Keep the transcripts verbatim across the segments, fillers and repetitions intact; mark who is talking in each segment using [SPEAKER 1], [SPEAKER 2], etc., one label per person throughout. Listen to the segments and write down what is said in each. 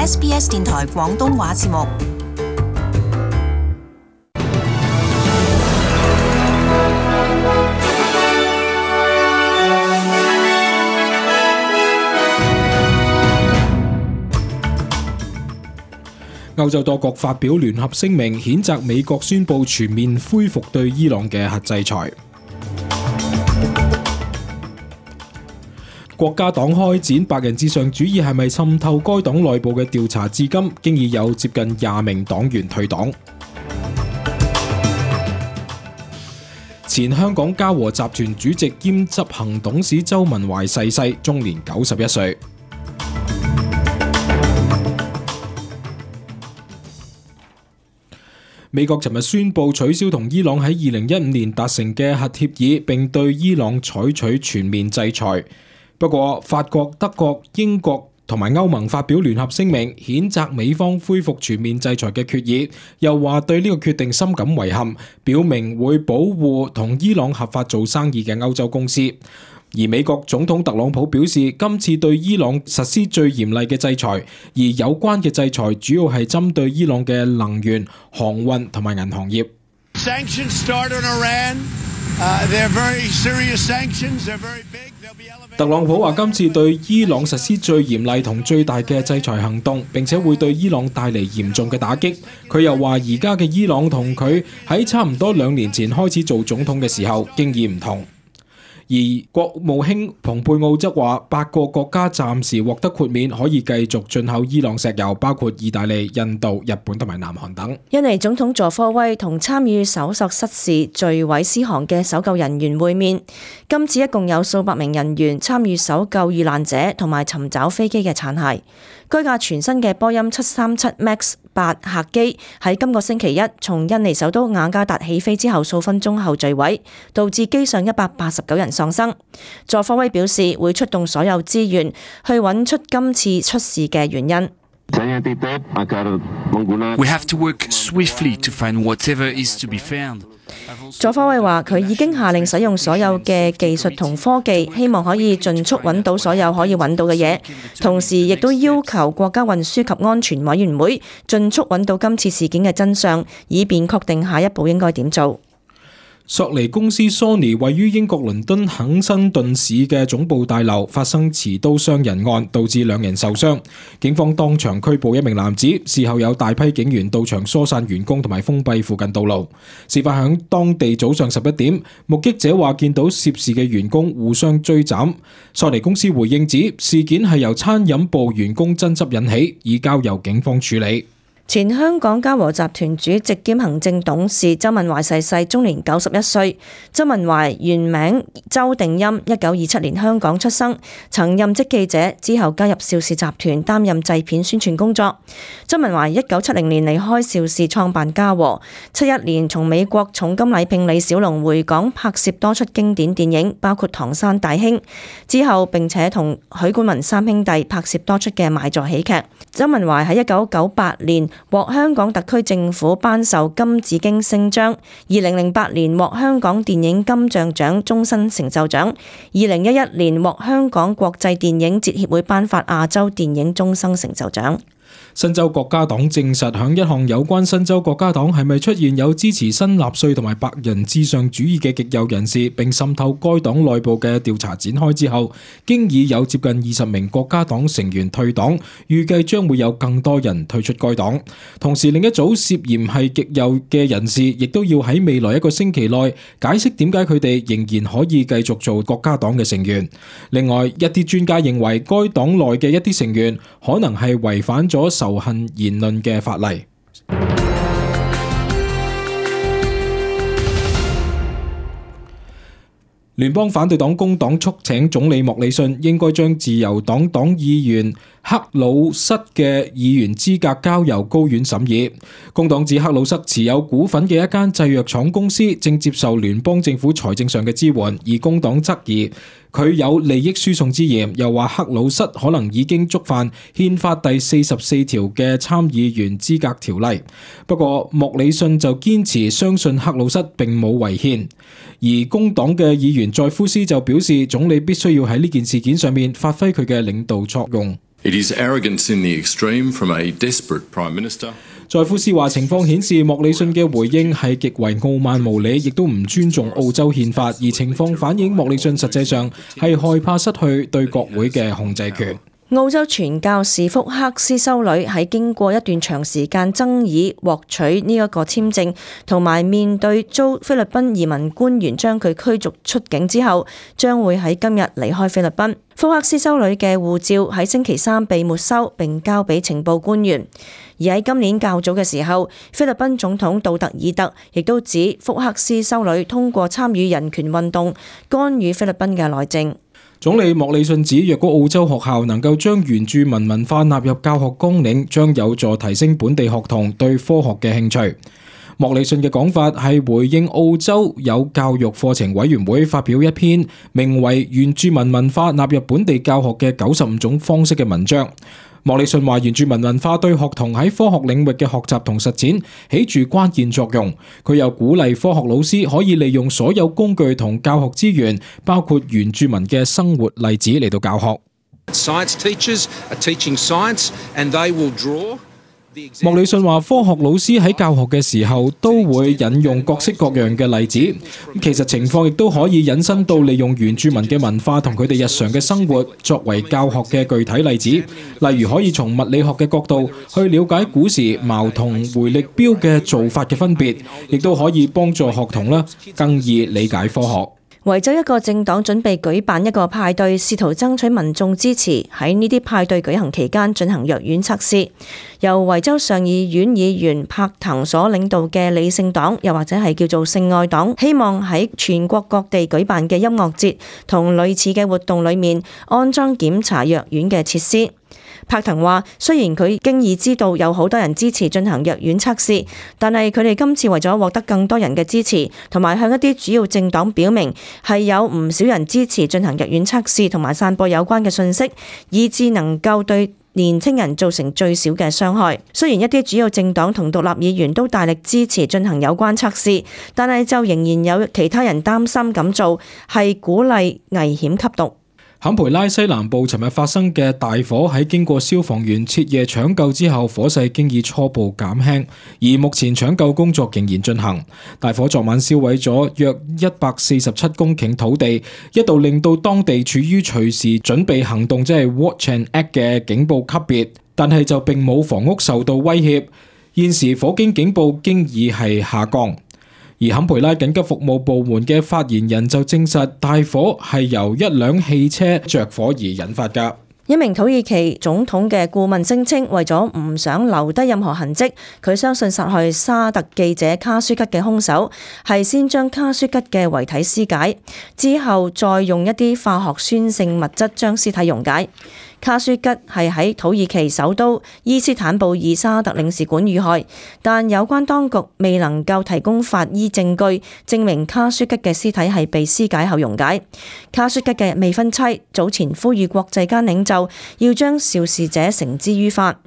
[SPEAKER 1] S B S 電台廣東話節目。
[SPEAKER 2] 歐洲多國發表聯合聲明，譴責美國宣布全面恢復對伊朗嘅核制裁。國家黨開展白人至上主義係咪滲透該黨內部嘅調查，至今經已有接近廿名黨員退黨。前香港嘉禾集團主席兼執行董事周文懷逝世，終年九十一歲。美國尋日宣布取消同伊朗喺二零一五年達成嘅核協議，並對伊朗採取全面制裁。不過，法國、德國、英國同埋歐盟發表聯合聲明，譴責美方恢復全面制裁嘅決議，又話對呢個決定深感遺憾，表明會保護同伊朗合法做生意嘅歐洲公司。而美國總統特朗普表示，今次對伊朗實施最嚴厲嘅制裁，而有關嘅制裁主要係針對伊朗嘅能源、航運同埋銀行業。特朗普話今次對伊朗實施最嚴厲同最大嘅制裁行動，並且會對伊朗帶嚟嚴重嘅打擊。佢又話而家嘅伊朗同佢喺差唔多兩年前開始做總統嘅時候經驗唔同。而國務卿蓬佩奧則話，八個國家暫時獲得豁免，可以繼續進口伊朗石油，包括意大利、印度、日本同埋南韓等。
[SPEAKER 3] 印尼總統佐科威同參與搜索失事墜毀獅航嘅搜救人員會面。今次一共有數百名人員參與搜救遇難者同埋尋找飛機嘅殘骸。該架全新嘅波音七三七 MAX 八客機喺今個星期一從印尼首都雅加達起飛之後數分鐘後墜毀，導致機上一百八十九人喪生。佐科威表示會出動所有資源去揾出今次出事嘅原因。
[SPEAKER 4] We have to work swiftly to find whatever is to be found.
[SPEAKER 3] 佐科威話佢已經下令使用所有嘅技術同科技，希望可以盡速揾到所有可以揾到嘅嘢，同時亦都要求國家運輸及安全委員會盡速揾到今次事件嘅真相，以便確定下一步應該點做。
[SPEAKER 2] 索尼公司 Sony 位於英國倫敦肯辛頓市嘅總部大樓發生持刀傷人案，導致兩人受傷。警方當場拘捕一名男子，事後有大批警員到場疏散員工同埋封閉附近道路。事發響當地早上十一點，目擊者話見到涉事嘅員工互相追斬。索尼公司回應指事件係由餐飲部員工爭執引起，已交由警方處理。
[SPEAKER 3] 前香港嘉禾集團主席兼行政董事周文懷逝世，終年九十一歲。周文懷原名周定鑫，一九二七年香港出生，曾任職記者，之後加入邵氏集團擔任製片宣傳工作。周文懷一九七零年離開邵氏創辦嘉禾，七一年從美國重金禮聘李小龍回港拍攝多出經典電影，包括《唐山大兄》，之後並且同許冠文三兄弟拍攝多出嘅賣座喜劇。周文懷喺一九九八年獲香港特區政府頒授金紫荊星章，二零零八年獲香港電影金像獎終身成就獎，二零一一年獲香港國際電影節協會頒發亞洲電影終身成就獎。
[SPEAKER 2] 新州國家黨證實，響一項有關新州國家黨係咪出現有支持新納粹同埋白人至上主義嘅極右人士，並滲透該黨內部嘅調查展開之後，經已有接近二十名國家黨成員退黨，預計將會有更多人退出該黨。同時，另一組涉嫌係極右嘅人士，亦都要喺未來一個星期內解釋點解佢哋仍然可以繼續做國家黨嘅成員。另外，一啲專家認為該黨內嘅一啲成員可能係違反咗仇恨言論嘅法例。聯邦反對黨工黨促請總理莫里遜應該將自由黨黨議員克魯塞嘅議員資格交由高院審議。工黨指克魯塞持有股份嘅一間製藥廠公司正接受聯邦政府財政上嘅支援，而工黨質疑佢有利益輸送之嫌，又話克魯塞可能已經觸犯憲法第四十四條嘅參議員資格條例。不過莫里遜就堅持相信克魯塞並冇違憲，而工黨嘅議員在夫斯就表示總理必須要喺呢件事件上面發揮佢嘅領導作用。
[SPEAKER 5] It is arrogance in the extreme from a desperate Prime Minister.
[SPEAKER 2] 在夫斯話情況顯示莫里遜嘅回應係極為傲慢無理，亦都唔尊重澳洲憲法，而情況反映莫里遜實際上係害怕失去對國會嘅控制權。
[SPEAKER 3] 澳洲傳教士福克斯修女喺經過一段長時間爭議獲取呢一個簽證，同埋面對遭菲律賓移民官員將佢驅逐出境之後，將會喺今日離開菲律賓。福克斯修女嘅護照喺星期三被沒收並交俾情報官員，而喺今年較早嘅時候，菲律賓總統杜特爾特亦都指福克斯修女通過參與人權運動干預菲律賓嘅內政。
[SPEAKER 2] 總理莫里遜指，若果澳洲學校能夠將原住民文化納入教學綱領，將有助提升本地學童對科學嘅興趣。莫里遜嘅講法係回應澳洲有教育課程委員會發表一篇名為《原住民文化納入本地教學嘅九十五種方式》嘅文章。莫里遜話，原住民文化對學童喺科學領域嘅學習同實踐起住關鍵作用。佢又鼓勵科學老師可以利用所有工具同教學資源，包括原住民嘅生活例子嚟到教學。
[SPEAKER 6] Science teachers are teaching science, and they will draw。
[SPEAKER 2] 莫里遜話，科學老師喺教學嘅時候都會引用各式各樣嘅例子，其實情況亦都可以引申到利用原住民嘅文化同佢哋日常嘅生活作為教學嘅具體例子，例如可以從物理學嘅角度去了解古時矛同回力鏢嘅做法嘅分別，亦都可以幫助學童啦更易理解科學。
[SPEAKER 3] 維州一個政黨準備舉辦一個派對，試圖爭取民眾支持。喺呢啲派對舉行期間進行藥丸測試。由維州上議院議員柏騰所領導嘅理性黨，又或者係叫做性愛黨，希望喺全國各地舉辦嘅音樂節同類似嘅活動裏面安裝檢查藥丸嘅設施。柏騰話，雖然佢經已知道有好多人支持進行藥丸測試，但係佢哋今次為咗獲得更多人嘅支持，同埋向一啲主要政黨表明係有唔少人支持進行藥丸測試，同埋散播有關嘅信息，以致能夠對年輕人造成最少嘅傷害。雖然一啲主要政黨同獨立議員都大力支持進行有關測試，但係就仍然有其他人擔心咁做係鼓勵危險吸毒。
[SPEAKER 2] 坎培拉西南部尋日發生嘅大火喺經過消防員徹夜搶救之後，火勢經已初步減輕，而目前搶救工作仍然進行。大火昨晚燒毀咗約一百四十七公頃土地，一度令到當地處於隨時準備行動，即係 Watch and Act 嘅警報級別，但係就並冇房屋受到威脅。現時火警警報經已係下降。而坎培拉緊急服務部門嘅發言人就證實，大火係由一輛汽車着火而引發㗎。
[SPEAKER 3] 一名土耳其總統嘅顧問聲稱，為咗唔想留低任何痕跡，佢相信殺害沙特記者卡舒吉嘅兇手係先將卡舒吉嘅遺體屍解，之後再用一啲化學酸性物質將屍體溶解。卡舒吉係喺土耳其首都伊斯坦布爾沙特領事館遇害，但有關當局未能夠提供法醫證據證明卡舒吉嘅屍體係被屍解後溶解。卡舒吉嘅未婚妻早前呼籲國際間領袖要將肇事者繩之於法。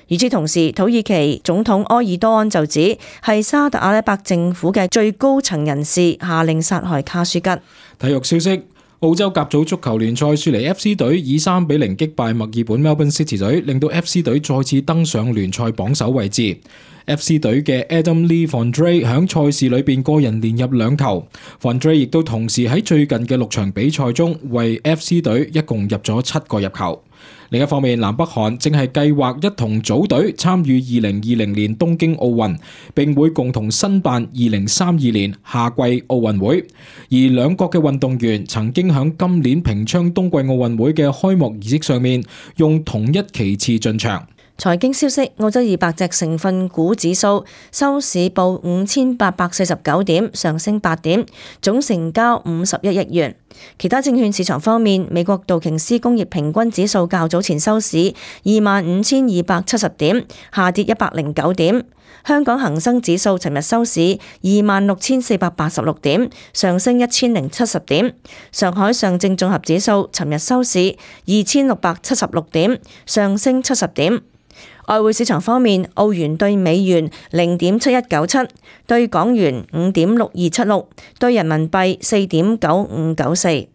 [SPEAKER 3] 與此同時，土耳其總統埃爾多安就指係沙特阿拉伯政府嘅最高層人士下令殺害卡舒吉。
[SPEAKER 2] 體育消息。澳洲甲組足球聯賽，雪梨 F C 隊以三比零擊敗墨爾本 Melbourne City 隊，令到 F C 隊再次登上聯賽榜首位置。F C 隊嘅 Adam Lee Fondre 響賽事裏邊個人連入兩球 ，Fondre 亦都同時喺最近嘅六場比賽中為 F C 隊一共入咗七個入球。另一方面，南北韓正係計劃一同組隊參與二零二零年東京奧運，並會共同申辦二零三二年夏季奧運會。而兩國嘅運動員曾經響今年平昌冬季奧運會嘅開幕儀式上面用同一旗幟進場。
[SPEAKER 3] 財經消息，澳洲二百隻成分股指數收市報五千八百四十九點，上升八點，總成交五十一億元。其他證券市場方面，美國道瓊斯工業平均指數較早前收市二萬五千二百七十點，下跌一百零九點。香港恒生指數尋日收市二萬六千四百八十六點，上升一千零七十點。上海上證綜合指數尋日收市二千六百七十六點，上升七十點。外匯市場方面，澳元對美元零點七一九七，對港元五點六二七六，對人民幣四點九五九四。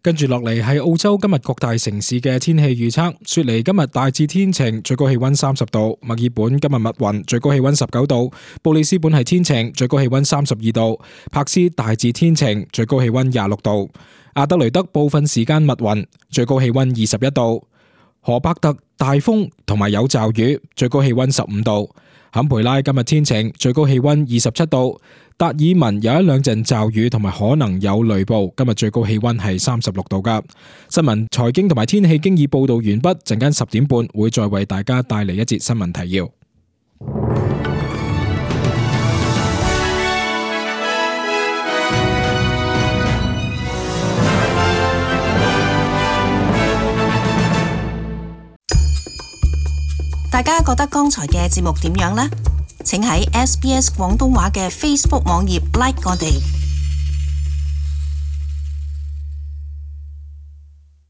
[SPEAKER 2] 跟住落嚟係澳洲今日各大城市嘅天氣預測。雪梨今日大致天晴，最高氣溫三十度；墨爾本今日密雲，最高氣溫十九度；布里斯本係天晴，最高氣溫三十二度；柏斯大致天晴，最高氣溫廿六度；阿德雷德部分時間密雲，最高氣溫二十一度；荷伯特大風同埋有驟雨，最高氣溫十五度；坎培拉今日天晴，最高氣溫二十七度；達爾文有一兩陣驟雨同埋可能有雷暴，今日最高氣溫係三十六度噶。新聞、財經同埋天氣經已報道完畢，陣間十點半會再為大家帶嚟一節新聞提要。
[SPEAKER 1] 大家覺得剛才嘅節目點樣呢？請喺 S B S 廣東話嘅 Facebook 網頁 like 我哋。